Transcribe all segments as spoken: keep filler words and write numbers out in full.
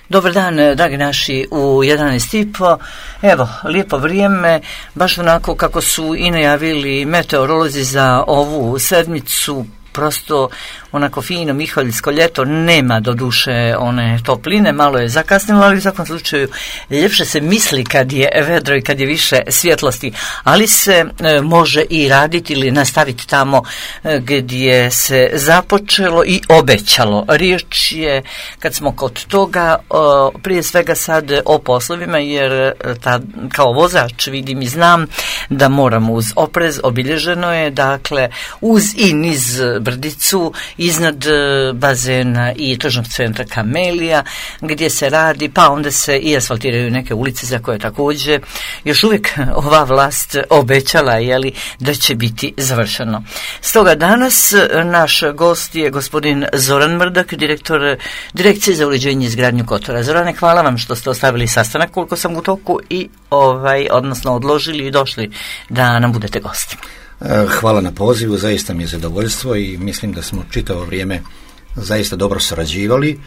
Dobar dan, dragi naši, u jedanaest i po. Evo, lijepo vrijeme, baš onako kako su i najavili meteorolozi za ovu sedmicu, prosto onako fino miholjsko ljeto, nema do duše one topline, malo je zakasnilo, ali u svakom slučaju ljepše se misli kad je vedro i kad je više svjetlosti, ali se e, može i raditi ili nastaviti tamo e, gdje se započelo i obećalo. Riječ je, kad smo kod toga, o, prije svega sad o poslovima, jer ta, kao vozač vidim i znam da moram uz oprez, obilježeno je, dakle, uz i niz brdicu, iznad bazena i tržnog centra Kamelija, gdje se radi, pa onda se i asfaltiraju neke ulice za koje također još uvijek ova vlast obećala, jeli, da će biti završeno. Stoga danas naš gost je gospodin Zoran Mrdak, direktor Direkcije za uređenje i izgradnju Kotora. Zorane, hvala vam što ste ostavili sastanak koliko sam u toku i ovaj, odnosno odložili i došli da nam budete gosti. Hvala na pozivu, zaista mi je zadovoljstvo i mislim da smo čitavo vrijeme zaista dobro surađivali.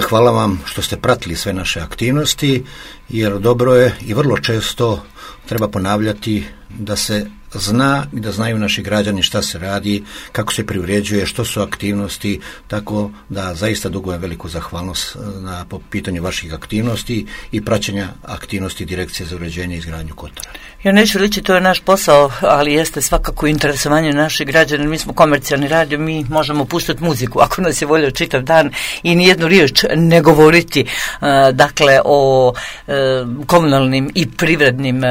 Hvala vam što ste pratili sve naše aktivnosti, jer dobro je i vrlo često treba ponavljati da se zna i da znaju naši građani šta se radi, kako se privređuje, što su aktivnosti, tako da zaista dugujem veliku zahvalnost na, po pitanju vaših aktivnosti i praćenja aktivnosti Direkcije za uređenje i izgradnju Kotora. Ja neću reći, to je naš posao, ali jeste svakako interesovanje naših građana. Mi smo komercijalni radio, mi možemo puštati muziku ako nas je volio čitav dan i nijednu riječ ne govoriti uh, dakle o uh, komunalnim i privrednim uh,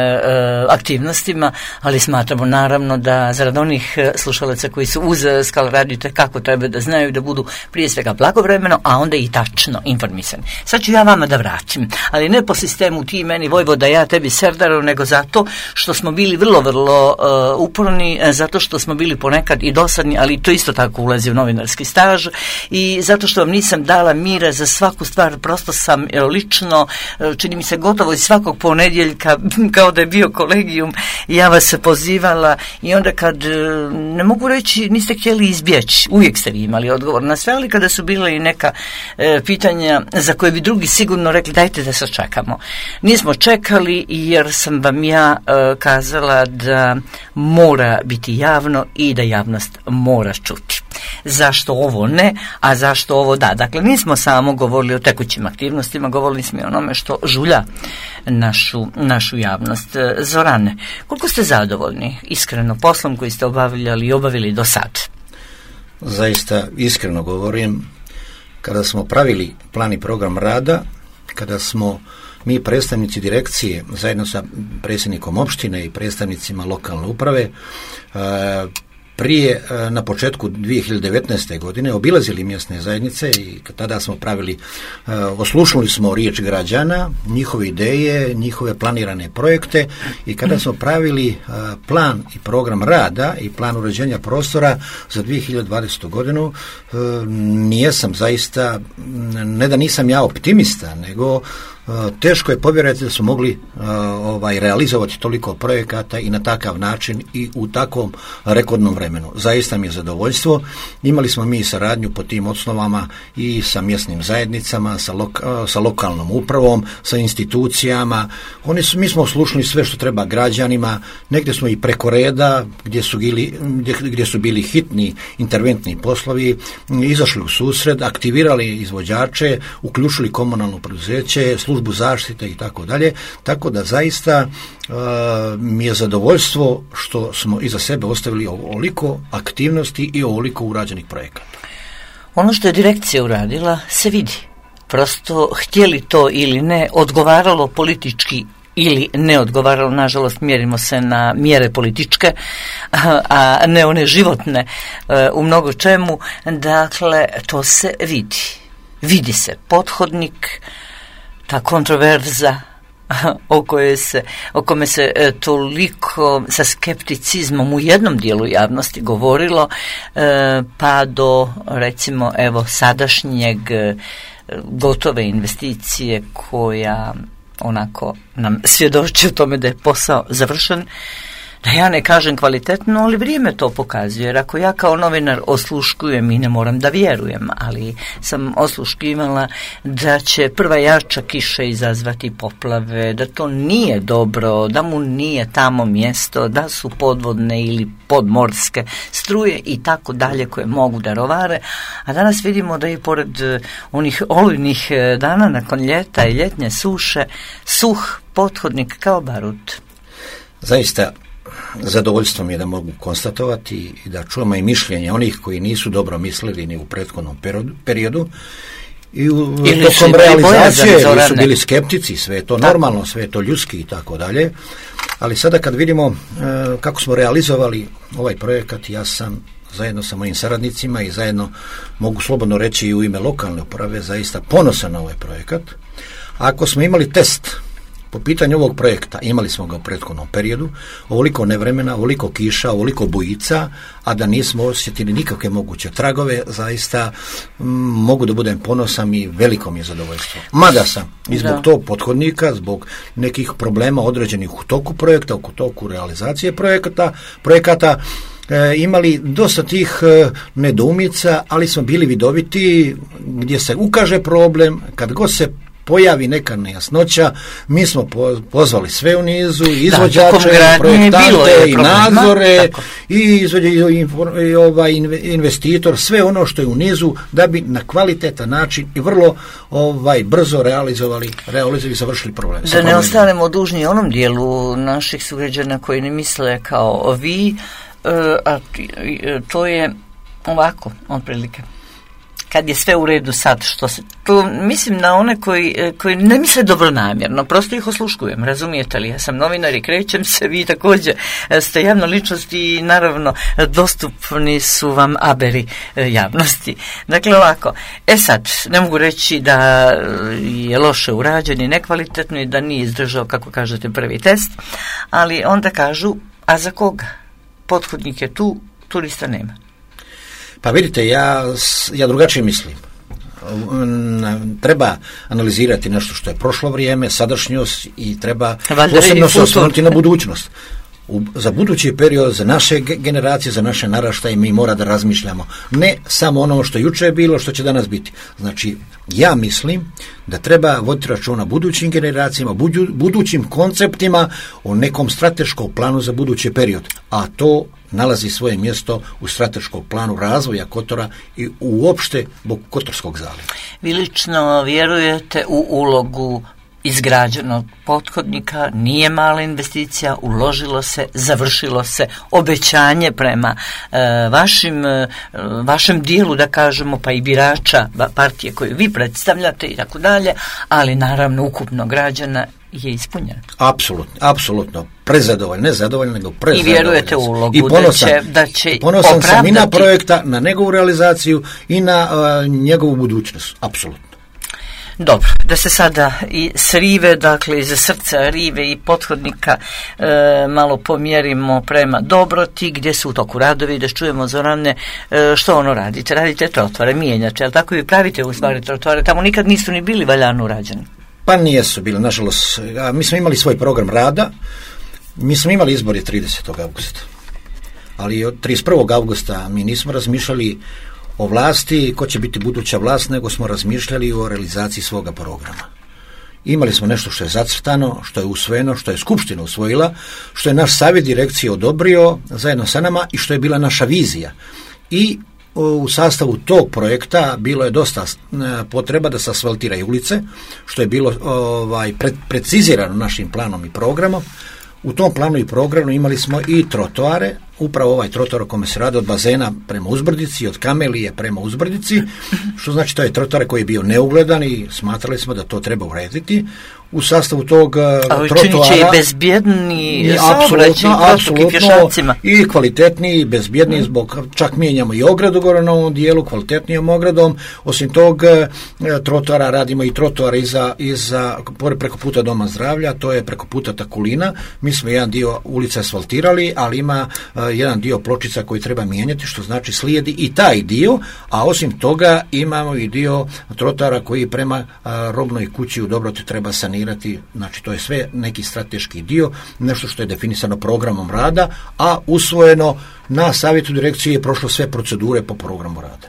aktivnostima, ali smatramo naravno da zarad onih slušalaca koji su uz Skal radio kako treba da znaju da budu prije svega blagovremeno, a onda i tačno informisani. Sad ću ja vama da vratim, ali ne po sistemu ti meni Vojvoda, ja tebi Serdaru, nego zato što smo bili vrlo, vrlo uh, uporni, zato što smo bili ponekad i dosadni, ali to isto tako ulazi u novinarski staž, i zato što vam nisam dala mira za svaku stvar. Prosto sam lično, čini mi se gotovo iz svakog ponedjeljka, kao da je bio kolegijum, ja vas pozivala, i onda kad, ne mogu reći, niste htjeli izbjeći, uvijek ste vi imali odgovor na sve, ali kada su bila i neka e, pitanja za koje bi drugi sigurno rekli dajte da se čekamo. Nismo čekali, jer sam vam ja e, kazala da mora biti javno i da javnost mora čuti. Zašto ovo ne, a zašto ovo da? Dakle, nismo samo govorili o tekućim aktivnostima, govorili smo i o onome što žulja našu, našu javnost. Zorane, koliko ste zadovoljni iskreno poslom koji ste obavljali i obavili do sad? Zaista iskreno govorim, kada smo pravili plan i program rada, kada smo mi predstavnici direkcije zajedno sa predsjednikom opštine i predstavnicima lokalne uprave prije, na početku dvije hiljade devetnaeste. godine obilazili mjesne zajednice i tada smo pravili, oslušnuli smo riječ građana, njihove ideje, njihove planirane projekte, i kada smo pravili plan i program rada i plan uređenja prostora za dvije hiljade dvadesetu. godinu, nijesam zaista, ne da nisam ja optimista, nego teško je povjerovati da su mogli uh, ovaj, realizovati toliko projekata i na takav način i u takvom rekordnom vremenu. Zaista mi je zadovoljstvo. Imali smo mi saradnju po tim osnovama i sa mjesnim zajednicama, sa, loka, uh, sa lokalnom upravom, sa institucijama. Oni su, mi smo oslušnuli sve što treba građanima, negdje smo i preko reda, gdje su bili, gdje, gdje su bili hitni interventni poslovi, izašli u susret, aktivirali izvođače, uključili komunalno preduzeće, službu zaštite i tako dalje, tako da zaista uh, mi je zadovoljstvo što smo iza sebe ostavili ovoliko aktivnosti i ovoliko urađenih projekata. Ono što je direkcija uradila se vidi. Prosto, htjeli to ili ne, odgovaralo politički ili ne odgovaralo, nažalost mjerimo se na mjere političke, a ne one životne u mnogo čemu. Dakle, to se vidi. Vidi se pothodnik, ta kontroverza o kojoj se, o kome se e, toliko sa skepticizmom u jednom dijelu javnosti govorilo, e, pa do recimo evo sadašnjeg e, gotove investicije koja onako nam svjedoči o tome da je posao završen. da ja ne kažem kvalitetno, ali vrijeme to pokazuje, jer ako ja kao novinar osluškujem i ne moram da vjerujem, ali sam osluškivala da će prva jača kiša izazvati poplave, da to nije dobro, da mu nije tamo mjesto, da su podvodne ili podmorske struje i tako dalje koje mogu da rovare, a danas vidimo da i pored onih olujnih dana nakon ljeta i ljetnje suše, suh pothodnik kao barut. Zaista zadovoljstvo mi je da mogu konstatovati i da čujemo i mišljenje onih koji nisu dobro mislili ni u prethodnom periodu i u tokom realizacije ili su bili skeptici, sve je to normalno, sve je to ljudski i tako dalje, ali sada kad vidimo uh, kako smo realizovali ovaj projekat, ja sam zajedno sa mojim saradnicima i zajedno mogu slobodno reći i u ime lokalne uprave zaista ponosan na ovaj projekat. Ako smo imali test po pitanju ovog projekta, imali smo ga u prethodnom periodu, ovoliko nevremena, ovoliko kiša, ovoliko bujica, a da nismo osjetili nikakve moguće tragove, zaista m, mogu da budem ponosan i veliko mi je zadovoljstvo. Mada sam i zbog tog pothodnika, zbog nekih problema određenih u toku projekta, u toku realizacije projekata, projekata, E, imali dosta tih e, nedoumica, ali smo bili vidoviti gdje se ukaže problem, kad god se pojavi neka nejasnoća, mi smo po, pozvali sve u nizu, izvođače, da, projektante i nadzore i, izvođe, i, i ovaj investitor, sve ono što je u nizu da bi na kvalitetan način i vrlo ovaj brzo realizovali, realizovali i završili problem. Da ne ostanemo dužni onom dijelu naših sugrađana koji ne misle kao vi, a to je ovako, otprilike. Kad je sve u redu sad, što se, to mislim na one koji, koji ne misle dobronamjerno, prosto ih osluškujem, razumijete li? Ja sam novinar i krećem se, vi također ste javna ličnost i naravno dostupni su vam aberi javnosti. Dakle ovako, e sad, ne mogu reći da je loše urađen i nekvalitetno i da nije izdržao, kako kažete, prvi test, ali onda kažu, a za koga? Pothodnik je tu, turista nema. Pa vidite, ja, ja drugačije mislim. Treba analizirati nešto što je prošlo vrijeme, sadašnjost i treba posebno se osvrnuti na budućnost. U, za budući period, za naše generacije, za naše naraštaje mi mora da razmišljamo. Ne samo ono što juče je bilo, što će danas biti. Znači, ja mislim da treba voditi računa budućim generacijama, budu, budućim konceptima o nekom strateškom planu za budući period. A to nalazi svoje mjesto u strateškom planu razvoja Kotora i uopšte Kotorskog zaljeva. Vi lično vjerujete u ulogu izgrađenog pothodnika, nije mala investicija, uložilo se, završilo se, obećanje prema e, vašim, e, vašem dijelu, da kažemo, pa i birača partije koju vi predstavljate i tako dalje, ali naravno ukupno građana je ispunjeno. Apsolutno, apsolutno. Prezadovoljno, ne zadovoljno, nego prezadovoljno. I vjerujete u ulogu I ponosan, da će, da će ponosan opravdati. sam i na projekta, na njegovu realizaciju i na uh, njegovu budućnost. Apsolutno. Dobro, da se sada i s rive, dakle iz srca rive i pothodnika e, malo pomjerimo prema Dobroti, gdje su u toku radovi, da čujemo Zorane e, što ono radite. Radite trotoare, mijenjate, ali tako i pravite u stvari trotoare, tamo nikad nisu ni bili valjano urađeni. Pa nijesu bili, nažalost. Mi smo imali svoj program rada, mi smo imali izbori tridesetog avgusta, ali od trideset prvog avgusta mi nismo razmišljali o vlasti, ko će biti buduća vlast, nego smo razmišljali o realizaciji svoga programa. Imali smo nešto što je zacrtano, što je usvojeno, što je Skupština usvojila, što je naš savjet direkcije odobrio zajedno sa nama i što je bila naša vizija. I u sastavu tog projekta bilo je dosta potreba da se asfaltiraju ulice, što je bilo ovaj, pre, precizirano našim planom i programom. U tom planu i programu imali smo i trotoare, upravo ovaj trotoar o kome se radi od bazena prema Uzbrdici, od Kamelije prema Uzbrdici, što znači to je trotoar koji je bio neugledan i smatrali smo da to treba urediti. U sastavu tog ali trotoara... činit će i bezbjedni saobraćaj i pješacima. I kvalitetniji, bezbjedniji, zbog, čak mijenjamo i ogradu gore na ovom dijelu, kvalitetnijom ogradom. Osim tog trotoara radimo i trotoar iza, iza, preko puta Doma zdravlja, to je preko puta Takulina. Mi smo jedan dio ulice asfaltirali, ali ima uh, jedan dio pločica koji treba mijenjati, što znači slijedi i taj dio, a osim toga imamo i dio trotoara koji prema uh, robnoj kući u Dobroti treba sanirati planirati, znači to je sve neki strateški dio, nešto što je definisano programom rada, a usvojeno na savjetu direkcije je prošlo sve procedure po programu rada.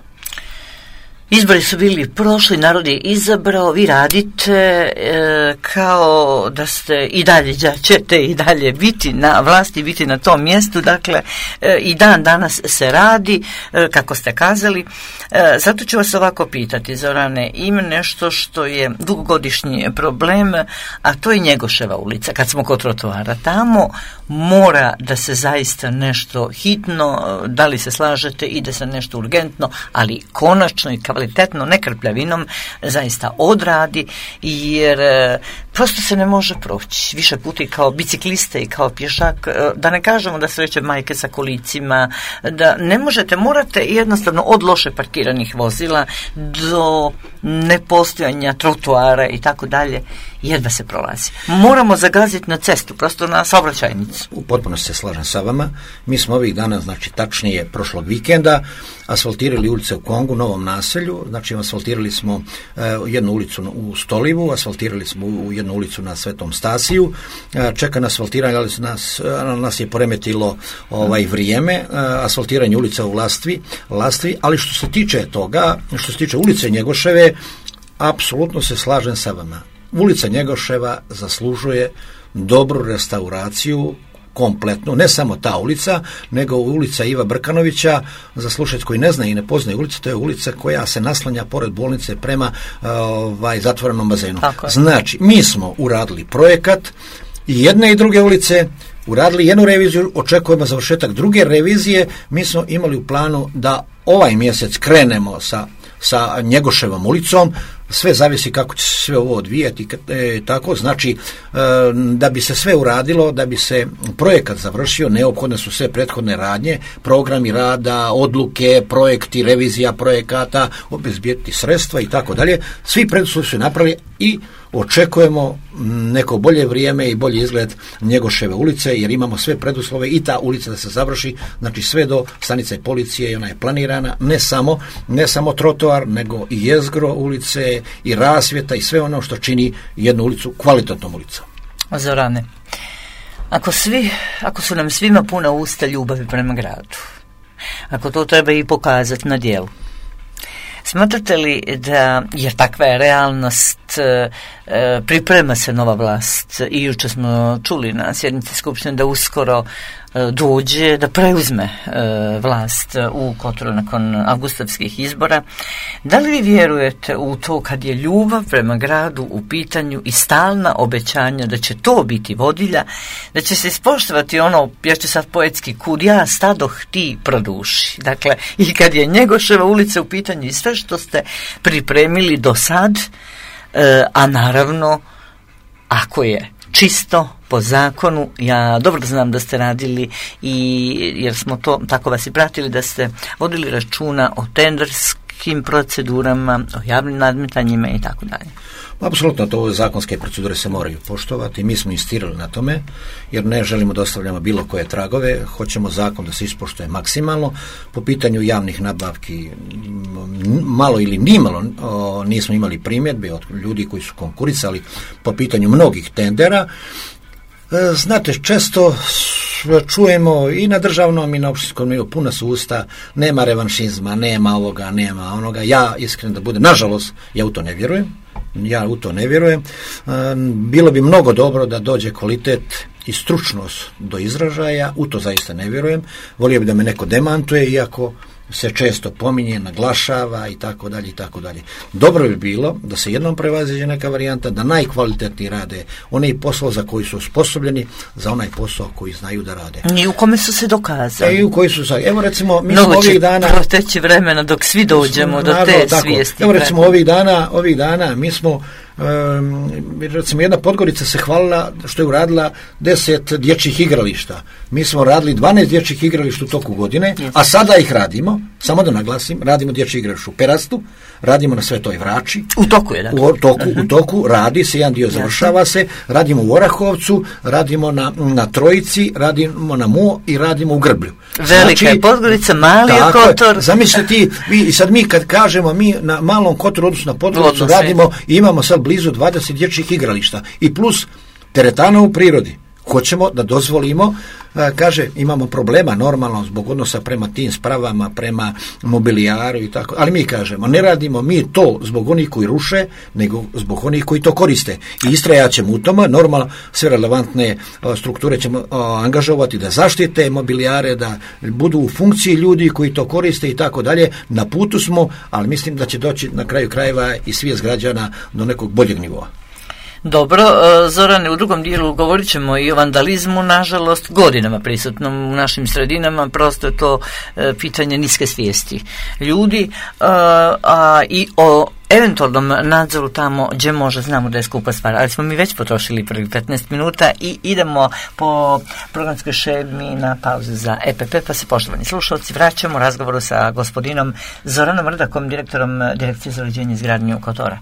Izbori su bili prošli, narod je izabrao, vi radite e, kao da ste i dalje, da ćete i dalje biti na vlasti, biti na tom mjestu, dakle e, i dan danas se radi, e, kako ste kazali. E, zato ću vas ovako pitati, Zorane, ima nešto što je dugogodišnji problem, a to je Njegoševa ulica. Kad smo kod trotoara, tamo mora da se zaista nešto hitno, da li se slažete, ide se nešto urgentno, ali konačno i kvalitetno, ne krpljavinom, zaista odradi, jer e, prosto se ne može proći. Više puta i kao bicikliste i kao pješak, e, da ne kažemo da sreće majke sa kolicima, da ne možete, morate jednostavno od loše parkiranih vozila do nepostojanja trotoara i tako dalje, jedva se prolazi. Moramo zagaziti na cestu, prosto na saobraćajnicu. U potpunosti se slažem sa vama. Mi smo ovih dana, znači tačnije prošlog vikenda, asfaltirali ulice u Kongu, Novom naselju, znači asfaltirali smo uh, jednu ulicu u Stolivu, asfaltirali smo u jednu ulicu na Svetom Stasiju, uh, čeka na asfaltiranje, ali nas, uh, nas je poremetilo ovaj vrijeme, uh, asfaltiranje ulica u Lastvi, Lastvi, ali što se tiče toga, što se tiče ulice Njegoševe, apsolutno se slažem sa vama. Ulica Njegoševa zaslužuje dobru restauraciju, kompletnu, ne samo ta ulica, nego ulica Iva Brkanovića, za slušać koji ne zna i ne poznaje ulicu, to je ulica koja se naslanja pored bolnice prema ovaj, zatvorenom bazenu. Znači, mi smo uradili projekat i jedne i druge ulice, uradili jednu reviziju, očekujemo završetak druge revizije, mi smo imali u planu da ovaj mjesec krenemo sa sa Njegoševom ulicom, sve zavisi kako će se sve ovo odvijati, e, tako, znači e, da bi se sve uradilo, da bi se projekat završio, neophodne su sve prethodne radnje, programi rada, odluke, projekti, revizija projekata, obezbijeti sredstva i tako dalje, svi preduslovi su napravili i očekujemo neko bolje vrijeme i bolji izgled Njegoševe ulice, jer imamo sve preduslove i ta ulica da se završi, znači sve do stanice policije i ona je planirana, ne samo, ne samo trotoar, nego i jezgro ulice i rasvjeta i sve ono što čini jednu ulicu kvalitetnom ulicom. Zorane, ako svi, ako su nam svima puna usta ljubavi prema gradu, ako to treba i pokazati na djelu, smatrate li da, jer takva je realnost, e, priprema se nova vlast i jučer smo čuli na sjednici Skupštine da uskoro e, dođe da preuzme e, vlast u Kotoru nakon avgustovskih izbora. Da li vi vjerujete u to kad je ljubav prema gradu u pitanju i stalna obećanja da će to biti vodilja, da će se ispoštovati ono, ja ću sad poetski, kud ja stadoh ti produši. Dakle, i kad je Njegoševa ulica u pitanju i sve što ste pripremili do sad, e, a naravno ako je čisto po zakonu, ja dobro znam da ste radili i jer smo to, tako vas i pratili, da ste vodili računa o tenderskim procedurama, o javnim nadmetanjima i tako dalje. Apsolutno, to ove zakonske procedure se moraju poštovati. Mi smo insistirali na tome, jer ne želimo da ostavljamo bilo koje tragove, hoćemo zakon da se ispoštuje maksimalno. Po pitanju javnih nabavki malo ili nimalo o, nismo imali primjedbe od ljudi koji su konkurisali po pitanju mnogih tendera. E, znate, često čujemo i na državnom i na opštinskom nivu puna su usta, nema revanšizma, nema ovoga, nema onoga. Ja iskreno da budem, nažalost, ja u to ne vjerujem. Ja u to ne vjerujem. Bilo bi mnogo dobro da dođe kvalitet i stručnost do izražaja, u to zaista ne vjerujem. Volio bi da me neko demantuje, iako se često pominje, naglašava i tako dalje i tako dalje. Dobro bi bilo da se jednom prevaziđe neka varijanta, da najkvalitetniji rade oni posao za koji su osposobljeni, za onaj posao koji znaju da rade. I u kome su se dokazali. E, i u koji su se, evo recimo, mi smo ovih dana... Mnogo će proteći vremena dok svi dođemo do te tako, svijesti. Evo recimo ovih dana, ovih dana mi smo Um, recimo jedna Podgorica se hvalila što je uradila deset dječjih igrališta. Mi smo radili dvanaest dječjih igrališta u toku godine, yes. A sada ih radimo, Samo da naglasim, radimo dječji igralište u Perastu, radimo na Svetoj Vrači. U toku je, dakle. U toku, uh-huh. u toku radi se, jedan dio završava se, radimo u Orahovcu, radimo na, na Trojici, radimo na Mo i radimo u Grblju. Velika znači, je Podgorica, mali je Kotor. Zamislite ti, vi, sad mi kad kažemo, mi na Malom Kotoru, odnosno na Podgoricu, Odnosno. radimo i imamo sad blizu dvadeset dječjih igrališta i plus teretana u prirodi. Hoćemo da dozvolimo, kaže, imamo problema normalno zbog odnosa prema tim spravama, prema mobilijaru i tako, ali mi kažemo, ne radimo mi to zbog onih koji ruše, nego zbog onih koji to koriste. I istrajat ćemo u tome, normalno sve relevantne strukture ćemo angažovati da zaštite mobilijare, da budu u funkciji ljudi koji to koriste i tako dalje. Na putu smo, ali mislim da će doći na kraju krajeva i svijest građana do nekog boljeg nivoa. Dobro, Zorane, u drugom dijelu govorit ćemo i o vandalizmu, nažalost, godinama prisutnom u našim sredinama, prosto je to e, pitanje niske svijesti ljudi, a, a i o eventualnom nadzoru tamo gdje može, znamo da je skupa stvar, ali smo mi već potrošili prvih petnaest minuta i idemo po programskoj šemi na pauzu za E P P, pa se, poštovani slušalci, vraćamo razgovoru sa gospodinom Zoranom Mrdakom, direktorom Direkcije za uređenje i izgradnju Kotora.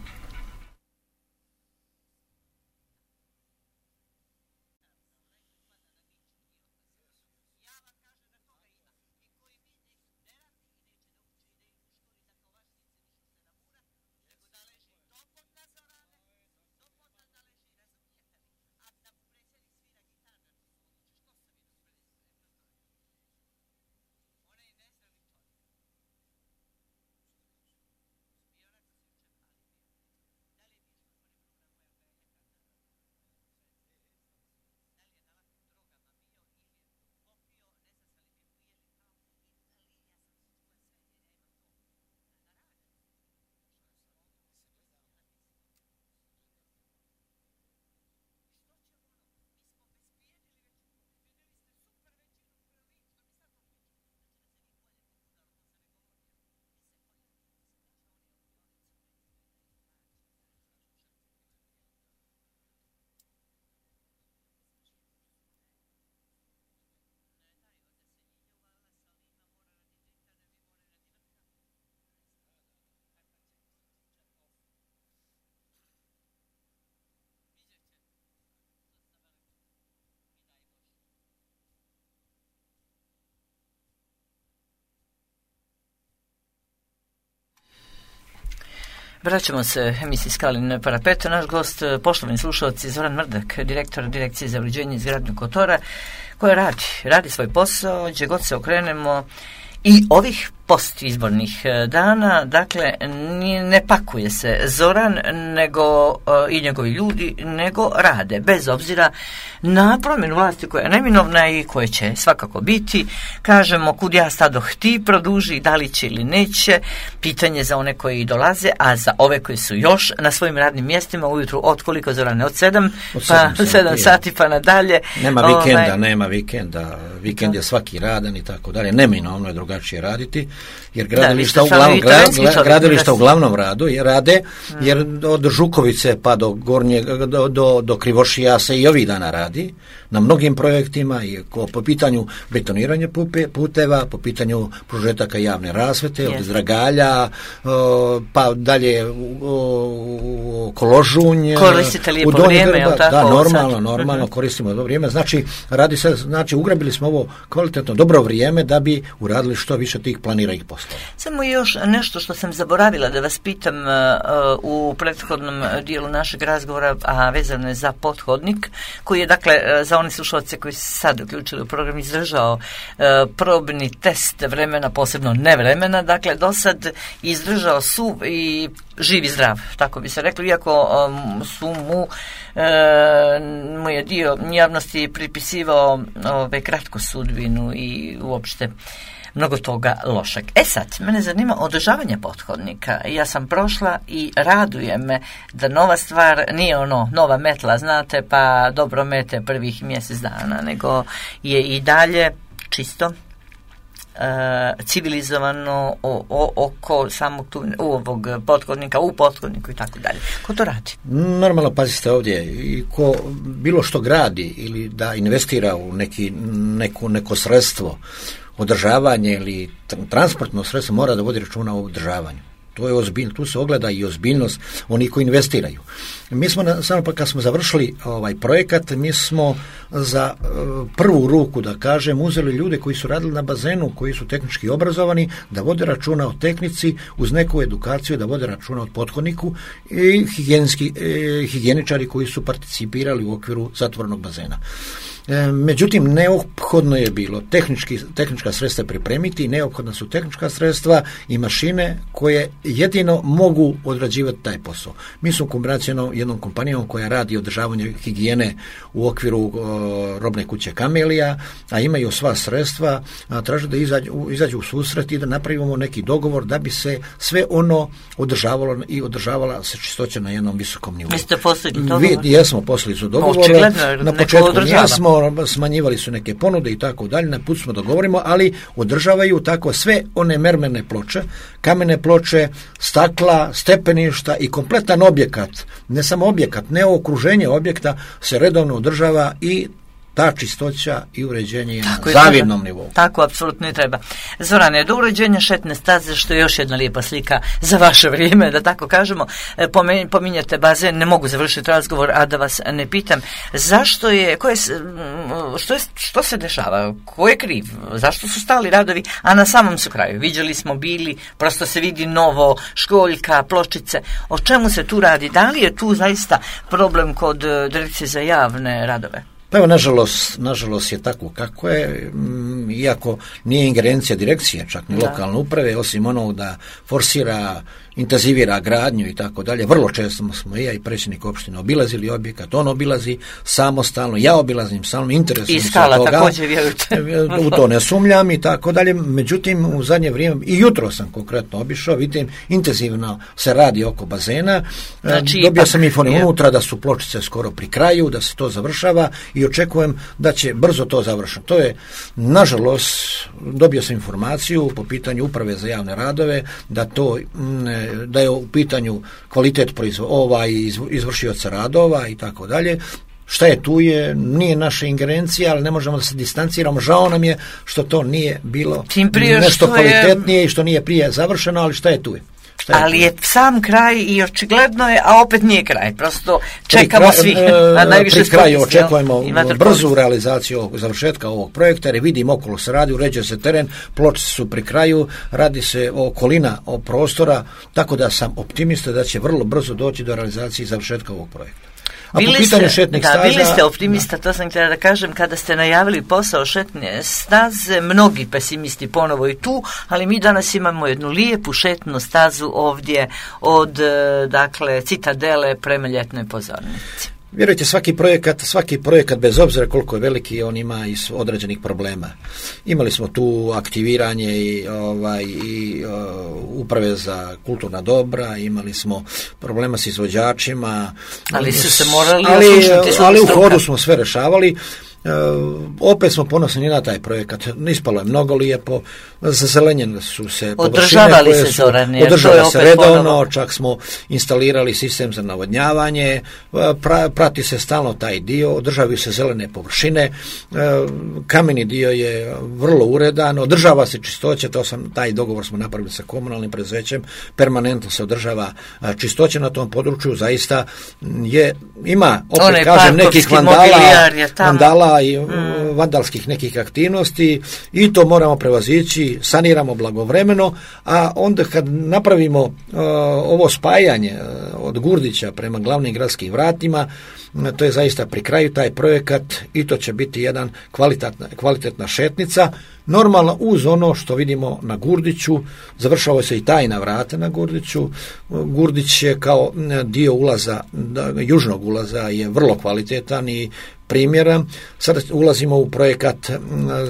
Vraćamo se emisiji Skalin Parapeto. Naš gost, poštovani slušalci, Zoran Mrdak, direktor Direkcije za uređenje i izgradnju Kotora, koja radi, radi svoj posao, gdje god se okrenemo i ovih postizbornih dana, dakle, ne pakuje se Zoran nego uh, i njegovi ljudi, nego rade, bez obzira na promjenu vlasti koja je neminovna i koje će svakako biti. Kažemo, kud ja stadoh ti produži, da li će ili neće, pitanje za one koji dolaze, a za ove koji su još na svojim radnim mjestima ujutru od koliko, Zorane, od sedam, od pa sedam sati pa nadalje. Nema vikenda, ovaj, nema vikenda, vikend da. je svaki radan i tako dalje, neminovno je drugačije raditi, jer gradilišta, da, uglavnom, gra, gradilišta uglavnom radu je rade, jer od Žukovice pa do Gornje, do, do, do Krivošija se i ovih dana radi na mnogim projektima, i po pitanju betoniranja puteva, po pitanju prožetaka javne rasvete, od Zdragalja, pa dalje u Koložunj. Koristite lijepo vrijeme, je li tako? Da, normalno, normalno, koristimo dobro vrijeme. Znači, radi se, znači, ugrabili smo ovo kvalitetno, dobro vrijeme da bi uradili što više tih planiranih poslova. Samo još nešto što sam zaboravila da vas pitam uh, u prethodnom dijelu našeg razgovora, a vezano je za pothodnik, koji je, dakle, za one slušalce koji se sad uključili u program, izdržao uh, probni test vremena, posebno nevremena, dakle, do sad izdržao su i živi zdrav, tako bi se reklo, iako um, su mu e, mu je dio javnosti pripisivao ove kratku sudbinu i uopšte mnogo toga lošeg. E sad, mene zanima održavanje pothodnika. Ja sam prošla i raduje me da nova stvar nije ono, nova metla, znate, pa dobro mete prvih mjesec dana, nego je i dalje čisto, Uh, civilizovano o, o, oko samog tu, ovog pothodnika, u pothodniku i tako dalje. Ko to radi? Normalno, pazite ovdje, i ko bilo što gradi ili da investira u neki, neku, neko sredstvo održavanje ili transportno sredstvo mora da vodi računa o održavanju. To je ozbiljno, tu se ogleda i ozbiljnost onih koji investiraju. Mi smo, na, samo pa kad smo završili ovaj projekat, mi smo za uh, prvu ruku, da kažem, uzeli ljude koji su radili na bazenu, koji su tehnički obrazovani, da vode računa o tehnici, uz neku edukaciju, da vode računa o pothodniku i higijenski, eh, higijeničari koji su participirali u okviru zatvorenog bazena. E, međutim, neophodno je bilo tehnički, tehnička sredstva pripremiti, neophodna su tehnička sredstva i mašine koje jedino mogu odrađivati taj posao. Mi smo kombinacijno jednom kompanijom koja radi održavanje higijene u okviru o, robne kuće Kamelija, a imaju sva sredstva, a traže da izađu, izađu u susret i da napravimo neki dogovor da bi se sve ono održavalo i održavala se čistoća na jednom visokom nivou. Vi ste postigli dogovor? Vi, jesmo postigli su dogovore. Na početku jesmo, smanjivali su neke ponude i tako dalje, na put smo dogovorimo, ali održavaju tako sve one mermerne ploče, kamene ploče, stakla, stepeništa i kompletan objekat, ne samo objekat, ne okruženje objekta se redovno održava i ta čistoća i uređenje je na zavidnom nivou. Tako, apsolutno i treba. Zorane, do uređenja šetne staze, što je još jedna lijepa slika za vaše vrijeme, da tako kažemo, pominjate bazen, ne mogu završiti razgovor, a da vas ne pitam, zašto je, ko je, što, je, što se dešava, ko je kriv, zašto su stali radovi, a na samom su kraju, viđali smo bili, prosto se vidi novo, školjka, pločice, o čemu se tu radi, da li je tu zaista problem kod Direkcije za javne radove? Pa evo, nažalost, nažalost je tako kako je, iako nije ingerencija direkcije, čak ni lokalne uprave, osim onog da forsira, intenzivira gradnju i tako dalje. Vrlo često smo i ja i predsjednik opštine obilazili objekat, on obilazi samostalno, ja obilazim samostalno, interesujem se toga. I skala također, vjerujte. U to ne sumnjam i tako dalje. Međutim, u zadnje vrijeme, i jutro sam konkretno obišao, vidim, intenzivno se radi oko bazena. Znači, dobio ipak, sam informaciju unutra da su pločice skoro pri kraju, da se to završava i očekujem da će brzo to završiti. To je, nažalost, dobio sam informaciju po pitanju uprave za javne radove, da to da je u pitanju kvalitet proizvo, ovaj izvršioca radova i tako dalje. Šta je tu je, nije naša ingerencija, ali ne možemo da se distanciramo. Žao nam je što to nije bilo nešto kvalitetnije je i što nije prije završeno, ali šta je tu je. Je ali je sam kraj i očigledno je, a opet nije kraj. Prosto čekamo svi. Na najviše pri kraju očekujemo brzu realizaciju ovog, završetka ovog projekta, jer vidim okolo se radi, uređuje se teren, pločice su pri kraju, radi se o okolina, o prostora, tako da sam optimista da će vrlo brzo doći do realizacije i završetka ovog projekta. A bili po pitanju ste, šetnih da, staza... bili ste optimista, da. To sam htjela da kažem, kada ste najavili posao šetne staze, mnogi pesimisti ponovo i tu, ali mi danas imamo jednu lijepu šetnu stazu ovdje od, dakle, Citadele prema Ljetnoj pozornici. Vjerujte, svaki projekat, svaki projekat, bez obzira koliko je veliki, on ima i određenih problema. Imali smo tu aktiviranje i, ovaj, i uh, uprave za kulturna dobra, imali smo problema s izvođačima. Ali su se morali ali, ali u hodu smo sve rešavali. Uh, opet smo ponosni na taj projekat, ispalo je mnogo lijepo, zazelenjene su se održavali se su, Zorane, održava se redovno, ponovo. Čak smo instalirali sistem za navodnjavanje, pra, prati se stalno taj dio, održavaju se zelene površine, uh, kameni dio je vrlo uredan, održava se čistoća, to sam, taj dogovor smo napravili sa komunalnim preduzećem, permanentno se održava uh, čistoća na tom području, zaista je, ima, opet One kažem, nekih vandala, vandala i mm. vandalskih nekih aktivnosti i to moramo prevazići, saniramo blagovremeno, a onda kad napravimo uh, ovo spajanje uh, od Gurdića prema glavnim gradskim vratima, uh, to je zaista pri kraju taj projekat i to će biti jedan kvalitetna, kvalitetna šetnica, normalno uz ono što vidimo na Gurdiću, završava se i tajna vrata na Gurdiću. Gurdić je kao dio ulaza, južnog ulaza je vrlo kvalitetan i primjera. Sada ulazimo u projekat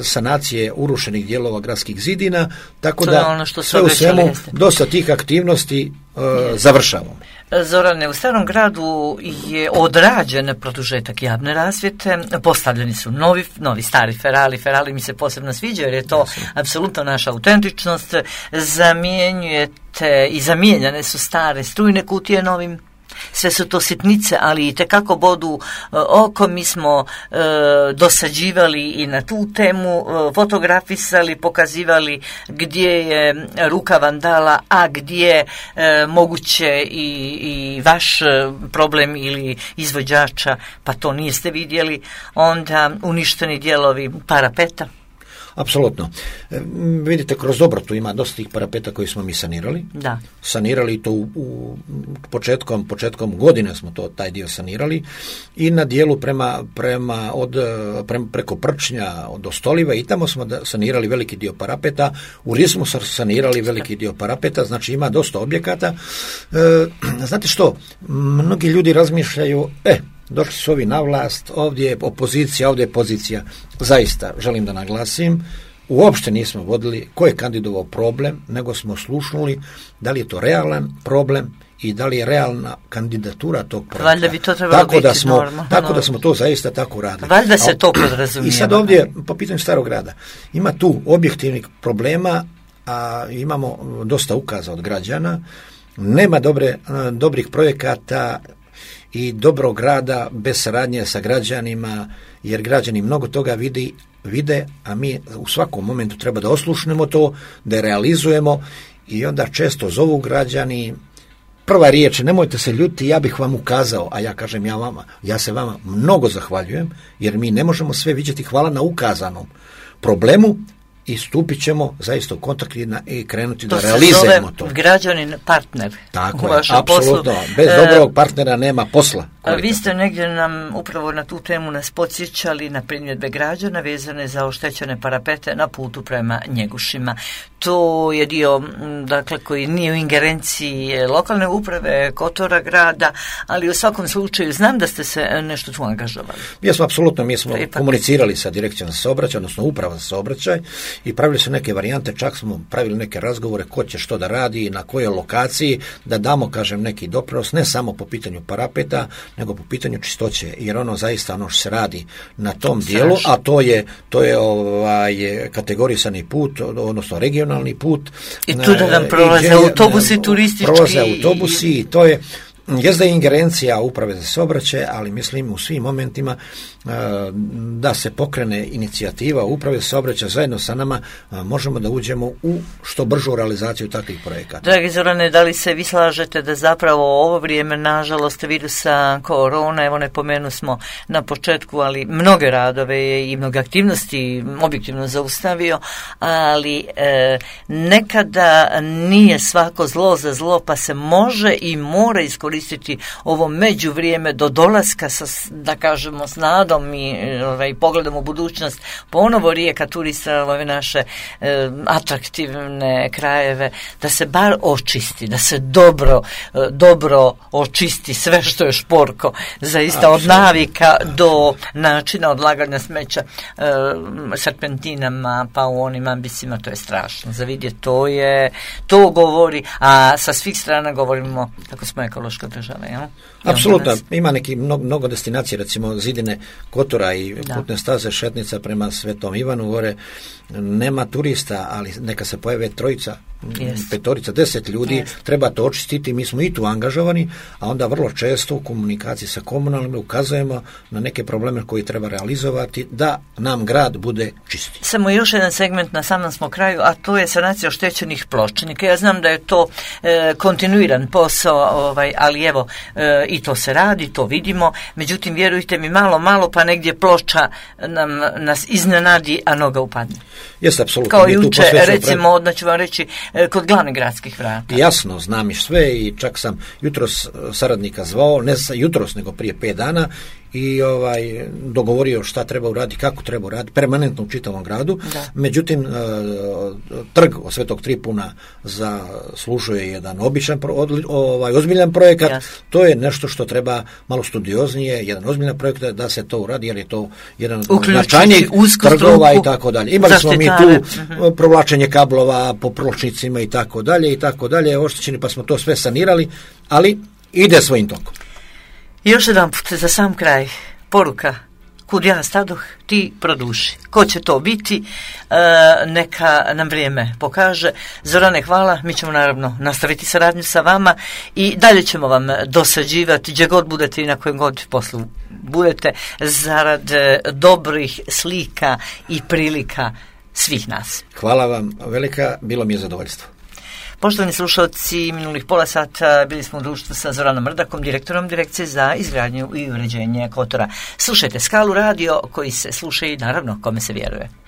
sanacije urušenih dijelova gradskih zidina, tako da ono što sve u svemu dosta tih aktivnosti uh, završavamo. Zorane, u Starom gradu je odrađen produžetak javne rasvjete, postavljeni su novi, novi stari ferali, ferali mi se posebno sviđaju jer je to apsolutno naša autentičnost, zamjenjujete i zamijenjane su stare strujne kutije novim. sve su to sitnice, ali i tekako bodu e, oko. Mi smo e, dosađivali i na tu temu, e, fotografisali, pokazivali gdje je ruka vandala, a gdje e, moguće i, i vaš problem ili izvođača, pa to niste vidjeli. Onda uništeni dijelovi parapeta. Apsolutno. E, vidite, kroz Dobrotu ima dosta tih parapeta koji smo mi sanirali. Da. Sanirali to u, u početkom, početkom godine smo to taj dio sanirali i na dijelu prema, prema od, prema, preko Prčnja do Stolive i tamo smo da, sanirali veliki dio parapeta. U Rismu smo sanirali veliki dio parapeta, znači ima dosta objekata. E, znate što, mnogi ljudi razmišljaju, e, došli su ovi na vlast, ovdje je opozicija, ovdje je pozicija. Zaista, želim da naglasim, uopšte nismo vodili ko je kandidovao problem, nego smo slušnuli da li je to realan problem i da li je realna kandidatura tog projekta. Valjda bi to trebalo tako biti da smo, normalno. Tako da smo to zaista tako radili. Valjda se to podrazumijeva. I sad ovdje, po pitanju Starog grada, ima tu objektivnih problema, a imamo dosta ukaza od građana, nema dobre, dobrih projekata i dobrog rada bez saradnje sa građanima, jer građani mnogo toga vidi, vide, a mi u svakom momentu treba da oslušnemo to, da realizujemo i onda često zovu građani, prva riječ, nemojte se ljuti, ja bih vam ukazao, a ja kažem ja vama, ja se vama mnogo zahvaljujem, jer mi ne možemo sve vidjeti, hvala na ukazanom problemu, i stupit ćemo zaista u kontakt i krenuti to da realizujemo to. To se zove građanin partner. Tako je, apsolutno. Bez e, dobrog partnera nema posla. A vi ste negdje nam upravo na tu temu nas podsjećali na primjedbe građana vezane za oštećene parapete na putu prema Njegušima. To je dio, dakle, koji nije u ingerenciji lokalne uprave, Kotora grada, ali u svakom slučaju znam da ste se nešto tu angažovali. Mi smo apsolutno, mi smo komunicirali sa direkcijom za saobraćaj, odnosno uprava za saobraćaj, i pravili su neke varijante, čak smo pravili neke razgovore ko će što da radi i na kojoj lokaciji, da damo, kažem, neki doprinos, ne samo po pitanju parapeta, nego po pitanju čistoće, jer ono zaista ono što se radi na tom dijelu, a to je, to je ovaj, kategorisani put, odnosno regionalni put. I tu da nam prolaze autobusi turistički. Prolaze autobusi i to je, jest da je ingerencija uprave za saobraćaj, ali mislim u svim momentima uh, da se pokrene inicijativa uprave za saobraćaj zajedno sa nama, uh, možemo da uđemo u što bržu realizaciju takvih projekata. Dragi Zorane, da li se vi slažete da zapravo ovo vrijeme, nažalost, virusa korona, evo ne pomenu smo na početku, ali mnoge radove je i mnoge aktivnosti objektivno zaustavio, ali e, nekada nije svako zlo za zlo, pa se može i mora iskoristiti koristiti ovo međuvrijeme do dolaska sa, da kažemo, s nadom i ovaj, pogledom u budućnost, ponovo Rijeka turista, ove naše e, atraktivne krajeve, da se bar očisti, da se dobro, e, dobro očisti sve što je šporko, zaista od navika do načina odlaganja smeća e, serpentinama, pa u onim ambisima, to je strašno. Za vidjeti, to je, to govori, a sa svih strana govorimo kako smo ekološka država, jel? Apsolutno, ima neki mnogo, mnogo destinacije, recimo zidine Kotora i da. Putne staze Šetnica prema Svetom Ivanu gore, nema turista, ali neka se pojave trojica, yes. petorica, deset ljudi, yes. treba to očistiti, mi smo i tu angažovani, a onda vrlo često u komunikaciji sa komunalnim ukazujemo na neke probleme koji treba realizovati da nam grad bude čisti. Samo još jedan segment na samom smo kraju, a to je sanacija oštećenih pločnika. Ja znam da je to e, kontinuiran posao, ovaj, ali evo, e, i to se radi, to vidimo, međutim, vjerujte mi, malo, malo, pa negdje ploča nam, nas iznenadi, a noga upadne. Jeste, apsolutno. Kao juče, recimo, odmah ću vam reći, kod glavnih gradskih vrata. Jasno, znam i sve i čak sam jutros saradnika zvao, ne jutros, nego prije pet dana, i ovaj dogovorio šta treba uraditi, kako treba uraditi, permanentno u čitavom gradu. Da. Međutim, trg od Svetog Tripuna zaslužuje jedan običan, ovaj, ozbiljan projekat. Jasno. To je nešto što treba malo studioznije, jedan ozbiljan projekt da se to uradi, jer je to jedan značajnijih trgova i tako dalje. Imali smo mi tu uh-huh. provlačenje kablova po pločnicima i tako dalje i tako dalje, oštećeni, pa smo to sve sanirali, ali ide svojim tokom. Još jedan put za sam kraj, poruka kud ja stadoh, ti produši. Ko će to biti, e, neka nam vrijeme pokaže. Zorane, hvala, mi ćemo naravno nastaviti saradnju sa vama i dalje ćemo vam dosađivati gdje god budete i na kojem god poslu budete, zarad dobrih slika i prilika svih nas. Hvala vam velika, bilo mi je zadovoljstvo. Poštovani slušalci, minulih pola sata bili smo u društvu sa Zoranom Mrdakom, direktorom Direkcije za izgradnju i uređenje Kotora. Slušajte Skalu radio koji se sluša i naravno kome se vjeruje.